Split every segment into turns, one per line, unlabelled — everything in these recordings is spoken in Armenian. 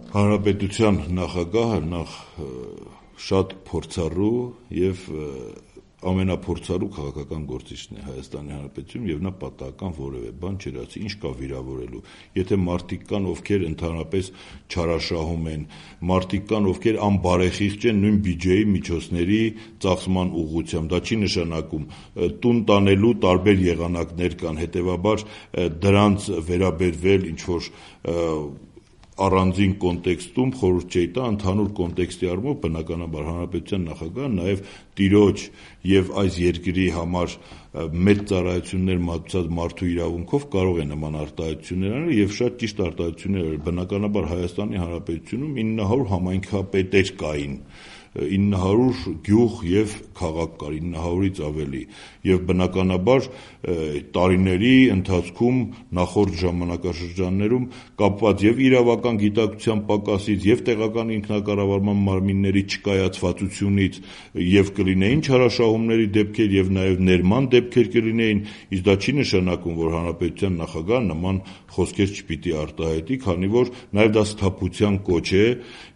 Հանրապետության նախագահը նախ շատ փորձառու եւ ամենափորձառու քաղաքական գործիչն է Հայաստանի Հանրապետությունում եւ նա պատահական որևէ բան չէր ասի, ինչ կա վիրավորելու։ Եթե մարդիկ կան, ովքեր ընդհանրապես չարաշահում են, մարդիկ կան, ովքեր անբարեխիղճ են նույն բյուջեի միջոցների ծախսման ուղղությամբ, դա չի նշանակում տուն տանելու տարբեր եղանակներ կան, հետեւաբար դրանց վերաբերվել ինչ որ առանձին կոնտեքստում խորհուրդ չի տա, ընդհանուր կոնտեքստի առումով բնականաբար հանրապետության նախագահը նաև տիրոջ եւ այս երկրի համար մեծ ծառայություններ մատուցած մարդու իրավունքով կարող է նման արտահայտություններ անել եւ շատ ճիշտ արտահայտություններ, բնականաբար Հայաստանի Հանրապետությունում 900 համայնքապետեր կային, 900 գյուղ եւ քաղաք կար, 900-ից ավելի եւ բնականաբար տարիների ընթացքում նախորդ ժամանակաշրջաններում կապված եւ իրավական գիտակցության պակասից եւ տեղական ինքնակառավարման մարմինների չկայացվածությունից եւ կլինեին չարաշահումների դեպքեր եւ նաեւ ներման դեպքեր կլինեին, իսկ դա չի նշանակում, որ հանրապետության նախագահը նման խոսքեր չպիտի արտահայտի, քանի որ նաեւ դա սթափության կոչ է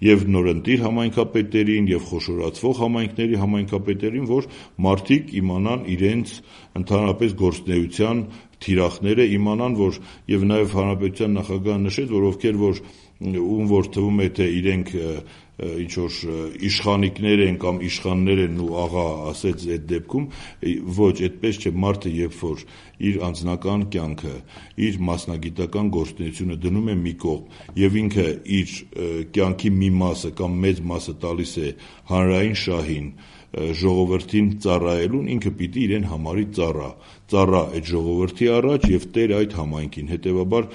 եւ նորընտիր համայնքապետերին եւ խոշորացվող համայնքների համայնքապետերին, որ մարդիկ իմանան իրենց ընդհանրապես գործունեության թիրախները, իմանան, որ եւ նաեւ հանրապետության նախագահը նշեց, որ ովքեր ում որ թվում է թե իրենք ինչ որ իշխանիկներ են կամ իշխաններ են ու աղա ասեց այդ դեպքում, ոչ, այդպես չէ, մարդը երբ որ իր անձնական կյանքը, իր մասնագիտական գործունեությունը դնում է մի կողմ եւ ինքը իր կյանքի մի մասը կամ մեծ մասը տալիս է հանրային շահին, ժողովրդին ծառայելուն, ինքը պիտի իրեն համարի ծառա այդ ժողովրդի առաջ եւ տեր այդ համայնքին, հետեւաբար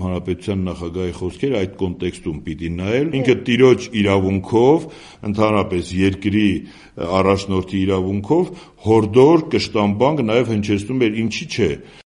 հանրապետության նախագահի խոսքերը այդ կոնտեքստում պիտի նայել, ինքը տիրոջ իրավունքով, ընդհանրապես երկրի առաջնորդի իրավունքով հորդոր կշտամբանք նաեւ հնչեցնում էր, ինչի՞ չէ